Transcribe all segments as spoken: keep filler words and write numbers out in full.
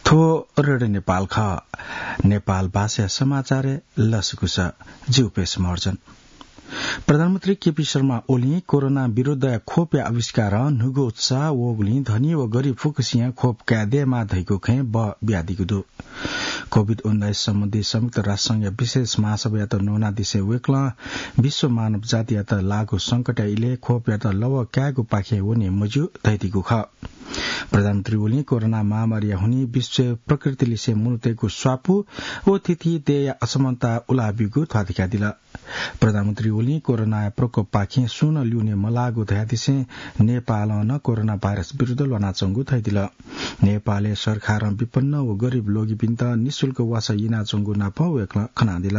थ्व रेडियो नेपाल खः। नेपाल भाषा समाचार लसकुस। जिउ पेश महर्जन। प्रधानमन्त्री केपी शर्मा ओलीं कोरोना विरुद्धया खोपया आविष्कार न्हूगु उत्साह वःगुलिं धनी व गरिब फुक्कसियां खोप काये दयेमा धइगु खँय् बः बियादीगु दु। कोभिड उन्नाइस सम्बन्धी संयुक्त राष्ट्र संघया विशेष महासभायात न्वनादिसे वय्कलं विश्व मानव जातियात लाःगु संकटया इलय् खोपयात लवः कायेगु पाखें वने मज्यू धइदीगु खः। प्रधानमन्त्री ओलीं कोरोना महामारीया हुनिं विश्वय् प्रकृतिलिसे मनूतय्गु स्वापू व थीथी देय्या असमानता उलाब्यूगु ध्वाथुइकादिल। प्रधानमन्त्री ओलीं कोरोनाया प्रकोपपाखें सुं नं ल्यूने मलाःगु धयादिसें नेपालं नं कोरोना भाइरस विरुद्ध ल्वानाच्वंगु धयादिल। नेपालय् सरकारं विपन्न व गरिब लोगिपिन्त निशुल्क वासः यनाच्वंगु नाप वय्कलं खनादिल।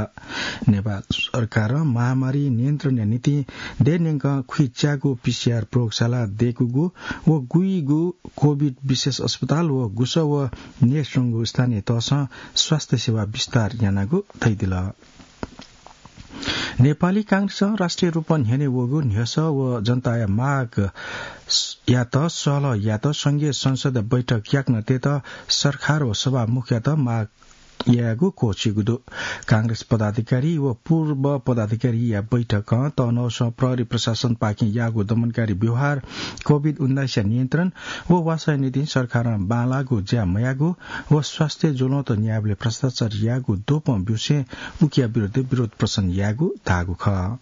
नेपाल सरकारं महामारी नियन्त्रणया निंतिं देय् न्यंकं खुइच्याःगु पीसीआर प्रयोगशाला दय्कूगु व गुइगु कोभिड विशेष अस्पताल व गुसः व नयेच्वंगु स्थानीय तहसं स्वास्थ्य सेवा विस्तार यानागु धयादिल। नेपाली कांग्रेसं राष्ट्रिय रूपं न्ह्यःने वःगु न्ह्यसः व जनताया माग स-, यात सहलह यात संघीय संसदया बैठक याकनं तयेत सरकार व सभामुखयात माग यायेगु क्वःछिइगु दु। कांग्रेस पदाधिकारी व पूर्व पदाधिकारीया बैठकं तःन्हूसं प्रहरी प्रशासनपाखें याःगु दमनकारी व्यवहार, कोभिड उन्नाइसया नियन्त्रण व वासःया निंतिं सरकारं बांलाःगु ज्या मयाःगु व स्वास्थ्य ज्वलंत न्यायबलय् भ्रष्टाचार याःगु द्वपं ब्यूसें उकिया विरुद्ध विरोध प्रदर्शन यायेगु धाःगु खः।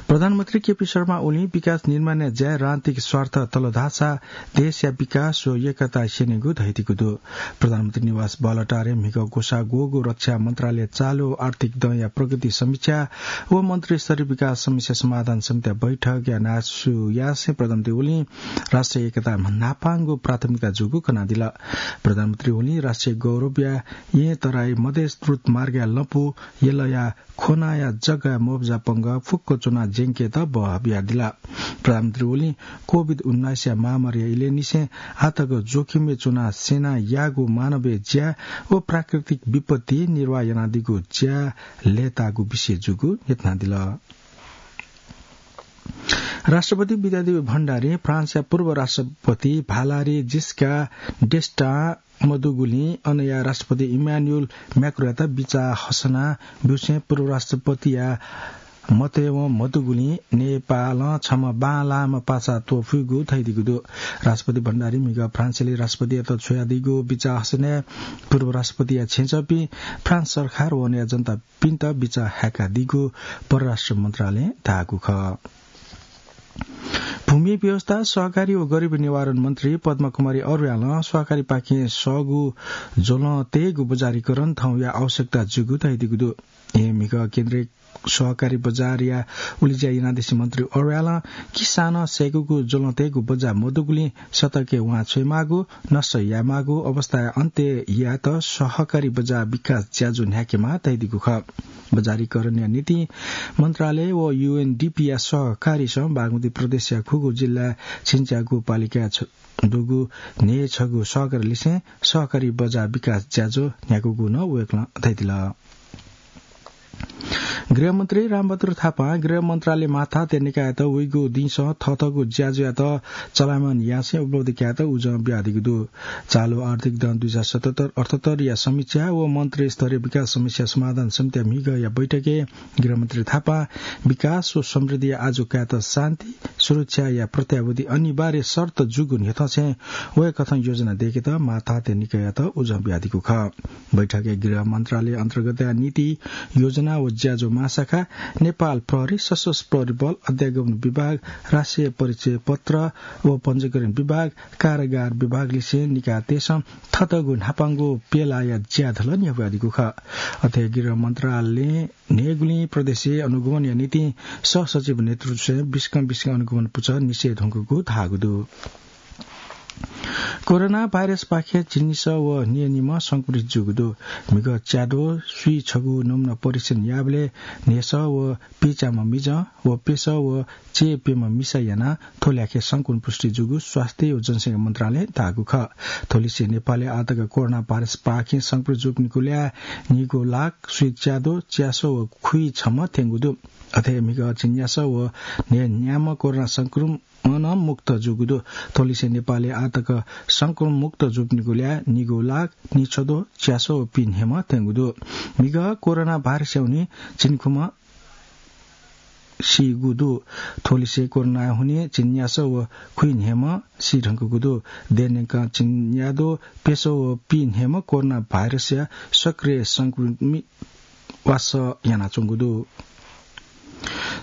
प्रधानमन्त्री केपी शर्मा ओलीं विकास निर्माणया ज्याय् राजनीतिक स्वार्थ तल धाःसा देशया विकास व एकता स्यनेगु धयादीगु दु। प्रधानमन्त्री निवास बालुवाटारय् म्हिगः ग्वसाः ग्वःगु रक्षा मन्त्रालय चालु आर्थिक दँया प्रगति समीक्षा व मन्त्रीस्तरीय विकास समस्या समाधान समितिया बैठकया न्हाय्सु यासें प्रधानमन्त्री ओलीं राष्ट्रिय एकता न्हापांगु प्राथमिकता जूगु कनादिल। प्रधानमन्त्री ओलीं राष्ट्रिय गौरवया येँ तराई मधेस द्रुत मार्गया लँपु यलया खोनाया जग्गाय् मोबजा पंगः फुक्क च्वनाः ज्यंकेत बहः बियादिल। प्रधानमन्त्री ओलीं कोभिड उन्नाइसया महामारीया इलय् निसें आःतक जोखिमय् च्वनाः सेनां याःगु मानवीय ज्या व प्राकृतिक विपत्ति निर्वाह यानादीगु ज्या लय्ताःगु विषय जूगु न्ह्यथनादिल। राष्ट्रपति विद्यादेवी भण्डारीं फ्रान्सया पूर्व राष्ट्रपति भालारी जिस्का डेस्टां मदुगुलिं अनया राष्ट्रपति इमानुएल म्याक्रोयात बिचाः हसना ब्यूसें पूर्व राष्ट्रपतिया मतय्वं मदुगुलिं नेपालं छम्ह बांलाःम्ह पासा त्वपुइगु धयादीगु दु। राष्ट्रपति भण्डारीं म्हिगः फ्रान्सय् राष्ट्रपतियात छ्वयादीगु बिचाः हसनाय् पूर्व राष्ट्रपतिया छेँजःपिं, फ्रान्स सरकार व अनया जनता पिन्त बिचाः हाय्कादीगु परराष्ट्र मन्त्रालयं धाःगु खः। भूमि व्यवस्था, सहकारी व गरिबी निवारण मन्त्री पद्मकुमारी अर्यालं सहकारीपाखें सःगु ज्वलं तयेगु बजारीकरण थौंया आवश्यकता जूगु धयादीगु दु। येँ म्हिगः केन्द्रीय सहकारी बजारया उलेज्या यानादिसें मन्त्री अर्यालं किसानं सय्कूगु ज्वलं तयेगु बजार मदुगुलिं सतर्कय् वां छ्वयेमाःगु, नष्ट यायेमाःगु अवस्थाया अन्त्य यायेत सहकारी बजार विकास ज्याझ्वः न्ह्याकेमाः धयादीगु खः। बजारीकरणया निंतिं मन्त्रालय व यूएनडीपीया सहकारीसं बागमती प्रदेशया खुगू जिल्ला झिंच्यागू पालिकाय् छ-, दुगु न्हय् छगू सहकारीलिसें सहकारी बजार विकास ज्याझ्वः न्ह्याकूगु नं वय्कलं धयादिल। गृहमन्त्री रामबहादुर थापां गृह मन्त्रालय माथात्या निकाययात वइगु दिंसं थःथःगु ज्याझ्वःयात चलायमान यासें उपलब्धि कायेत उजं बियादीगु दु। चालु आर्थिक दँ दुई हजार सतहत्तर अठहत्तरया समीक्षा व मन्त्री स्तरीय विकास समस्या समाधान समितिया म्हिगःया बैठकय् गृहमन्त्री थापां विकास व समृद्धिया आजु कायेत शान्ति सुरक्षाया प्रत्याभूति अनिवार्य शर्त जूगु न्ह्यथंसें वय्कथं योजना दय्केत माथात्या निकाययात उजं बियादीगु खः। बैठकय् गृह मन्त्रालय अन्तर्गतया नीति, योजना व ज्याझ्वः महाशाखा, नेपाल प्रहरी, सशस्त्र प्रहरी बल, अध्यागमन विभाग, राष्ट्रिय परिचय पत्र व पञ्जीकरण विभाग, कारागार विभागलिसें निकायतय्सं थःथःगु न्हापांगु प्यलाया ज्याझ्वः न्ह्याकादीगु खः। अथे गृह मन्त्रालयं न्हय्गुलिं प्रदेशय् अनुगमनया निंतिं सहसचिव नेतृत्वय् बिस्कं बिस्कं अनुगमन पुचः निसें धुंकूगु धाःगु दु। कोरोना भाइरसपाखें झिंनिसः व न्हय्निम्ह संक्रमित जूगु दु। म्हिगः च्याद्वः स्वीछगू नमुना परीक्षण याःबलय् न्हय्सः व पिचाम्ह मिजं व प्यसः व चय्प्यम्ह मिसां यानाः थ्व ल्याखय् संक्रमण पुष्टि जूगु स्वास्थ्य व जनसंख्या मन्त्रालयं धाःगु खः। थ्वलिसें नेपालय् आःतक कोरोना भाइरसपाखें संक्रमित जूपिनिगु ल्याः न्हिगू लाख स्वीच्याद्वः च्यासः व खुइछम्ह थ्यंगु दु। अथे म्हिगः झिंन्यासः व न्हय्न्याम्ह कोरोना संक्रमण नं मुक्त जूगु दु। थ्वलिसे नेपालय् आतक संक्रमण मुक्त जूपिनिगु ल्याः निगू लाख निछदो च्यासो पि न्हेम्ह थ्यंगु दु। म्हिगः कोरोना भाइरसया हुनिं झिंखुम्ह सीगु दु। थ्वलिसे कोरोना हुनिं झिंन्यासो व खुइन्हेम्ह सी धुंकूगु दु। देय् न्यंकं झिंन्यादँ प्यसो व पि न्हेम्ह कोरोना भाइरसया सक्रिय संक्रमित वासः यानाच्वंगु दु।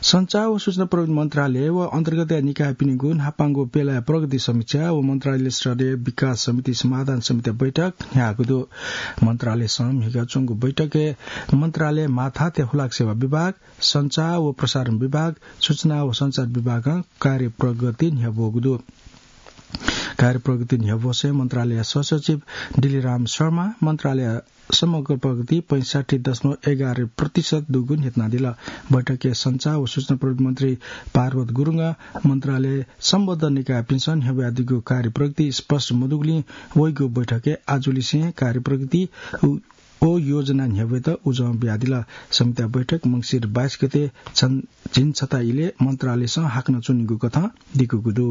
सञ्चार व सूचना प्रविधि मन्त्रालय व अन्तर्गतया निकायपिनिगु न्हापांगु बेलाया प्रगति समीक्षा व मन्त्रालय स्तरीय विकास समिति समाधान समितिया बैठक न्ह्याःगु दु। मन्त्रालयसं म्हिगः च्वंगु बैठकय् मन्त्रालय माथात्या हुलाक सेवा विभाग, सञ्चार व प्रसारण विभाग, सूचना व सञ्चार विभागं कार्यप्रगति न्ह्यब्वःगु दु। कार्यप्रगति न्ह्यब्वसे मन्त्रालय सहसचिव डिलिराम शर्मा मन्त्रालय समग्र प्रगति पैंसठ्ठी दशमलव एघार प्रतिशत दुगु न्ह्यथनादिल। बैठकय् सञ्चार व सूचना प्रविधि मन्त्री पार्वत गुरुङं मन्त्रालय सम्बद्ध निकायपिन्सं न्ह्यब्वयादीगु कार्यप्रगति स्पष्ट मदुगुलिं वइगु बैठकय् आजुलिसें कार्यप्रगति व योजना न्ह्यब्वयेत उजं बियादिल। समितिया बैठक मंसिर बाइस गते झिंछता इलय् मन्त्रालयसं हाकनं च्वनीगु कथं दिकूगु दु।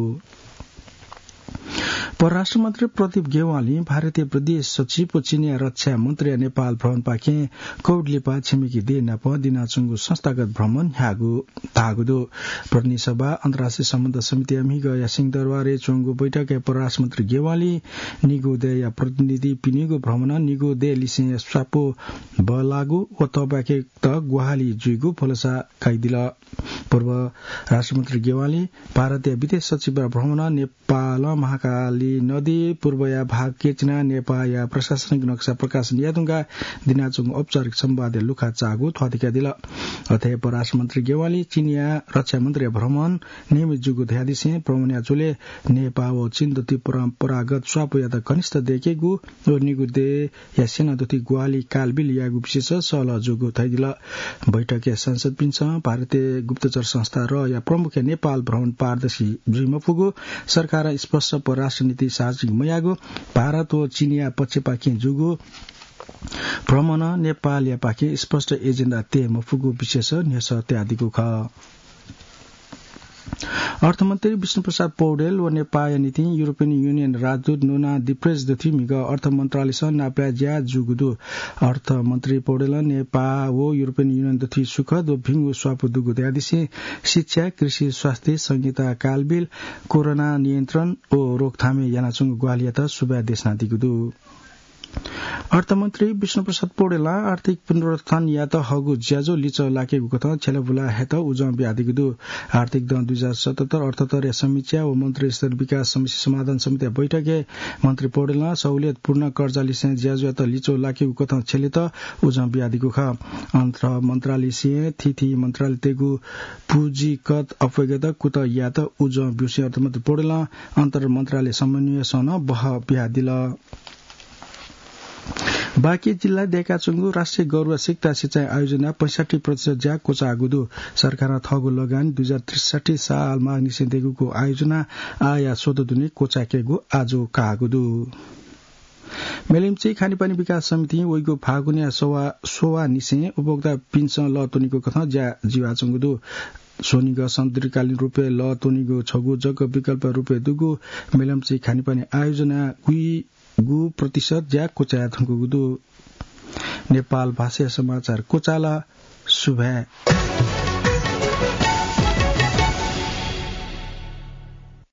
परराष्ट्र मन्त्री प्रदीप ग्यावालीं भारतीय विदेश सचिव व चीनया रक्षा मन्त्रीया नेपाल भ्रमणपाखें कोभिड लिपा छिमेकी देय् नाप दिनाच्वंगु संस्थागत भ्रमण न्ह्याःगु धाःगु दु। प्रतिनिधि सभा अन्तर्राष्ट्रिय सम्बन्ध समितिया म्हिगःया सिंहदरबारय् च्वंगु बैठकय् परराष्ट्र मन्त्री ग्यावालीं निगू देय्‌या प्रतिनिधिपिनिगु भ्रमणं निगू देय् लिसें स्वापू बल्लाःगु व थपाखेत ग्वाहालि जुइगु भलसा कयादिल। परराष्ट्र मन्त्री ग्यावालीं भारतया विदेश सचिवया भ्रमणं नेपालं महाकाली नदी पूर्वया भाग केचिना नेपाःया प्रशासनिक नक्सा प्रकाशन यायेधुंकाः दिनाच्वंगु औपचारिक संवादया लुखा चाःगु थ्वाथी कयादिल। अथे परराष्ट्र मन्त्री ग्यावालीं चीनया रक्षा मन्त्रीया भ्रमण नियमित जूगु धयादिसें भ्रमणया झ्वलय् नेपाः व चीन दथुइ परम्परागत स्वापूयात घनिष्ठ दयेकेगु व निगू देय्‌या सेना दथुइ ग्वाहालि कालबिल यायेगु विषयस सहलह जूगु धयादिल। बैठकय् सांसदपिन्सं भारतीय गुप्तचर संस्था रया प्रमुखया नेपाल भ्रमण पारदर्शी जुइ मफुगु, सरकारं स्पष्ट परराष्ट्र नीति सार्वजनिक मयाःगु, भारत व चीनया पक्षपाखें जूगु भ्रमणं नेपालया पाखें स्पष्ट एजेन्डा तये मफुगु विषयस न्ह्यसः तयादीगु खः। अर्थमन्त्री विष्णुप्रसाद पौडेल व नेपाःया निंतिं युरोपियन युनियन राजदूत नोना दिप्रेज दथुइ म्हिगः अर्थ मन्त्रालयसं नापलाये ज्या जूगु दु। अर्थमन्त्री पौडेलं नेपाः व युरोपियन युनियन दथुइ सुखद व भिंगु स्वापू दुगु धयादिसें शिक्षा, कृषि, स्वास्थ्य, संहिता कालबिल, कोरोना नियन्त्रण व रोकथामय् यानाच्वंगु ग्वाहालियात सुभाय् देछानादीगु दु। अर्थमन्त्री विष्णुप्रसाद पौडेलं आर्थिक पुनरुत्थानयात हःगु ज्याझ्वः लिच्वः लाकेगु कथं छ्यलाबुला हयेत उजं बियादीगु दु। आर्थिक दँ दुई हजार सतहत्तर अठहत्तरया समीक्षा व मन्त्रीस्तरीय विकास समस्या समाधान समितिया बैठकय् मन्त्री पौडेलं सहुलियतपूर्ण कर्जा लिसें ज्याझ्वःयात लिच्वः लाकेगु कथं छ्यलेत उजं बियादीगु खः। अर्थ मन्त्रालयसिं थीथी मन्त्रालयतय्‌गु पुँजीगत अप्वय्‌गत कुतः यायेत उजं ब्यूसें अर्थमन्त्री पौडेलं अन्तर मन्त्रालय समन्वयसं नं बहः बियादिल। बाँके जिल्लाय् दयेकाच्वंगु राष्ट्रिय गरुवा सिक्ता सिँचाइ आयोजना पैंसठ्ठी प्रतिशत ज्या क्वचाःगु दु। सरकारं थःगु लगानी दुई हजार त्रिसठ्ठी साल माघनिसें दयेकूगु आयोजना आःया स्वदँ दुने क्वचायेकेगु आजु काःगु दु। मेलम्ची खानेपानी विकास समितिं वइगु फागुनया स्ववा-, स्ववाःनिसें उपभोक्तापिन्सं लः त्वनीगु कथं ज्या जुयाच्वंगु दु। स्वनिगः सन्तुलिकालीन रूपय् लः त्वनीगु छगू जक विकल्प रूपय् दुगु मेलम्ची खानेपानी आयोजना गुइगू प्रतिशत ज्या क्वचायेधुंकूगु दु। नेपाल भाषाया समाचार क्वचाल। सुभाय्।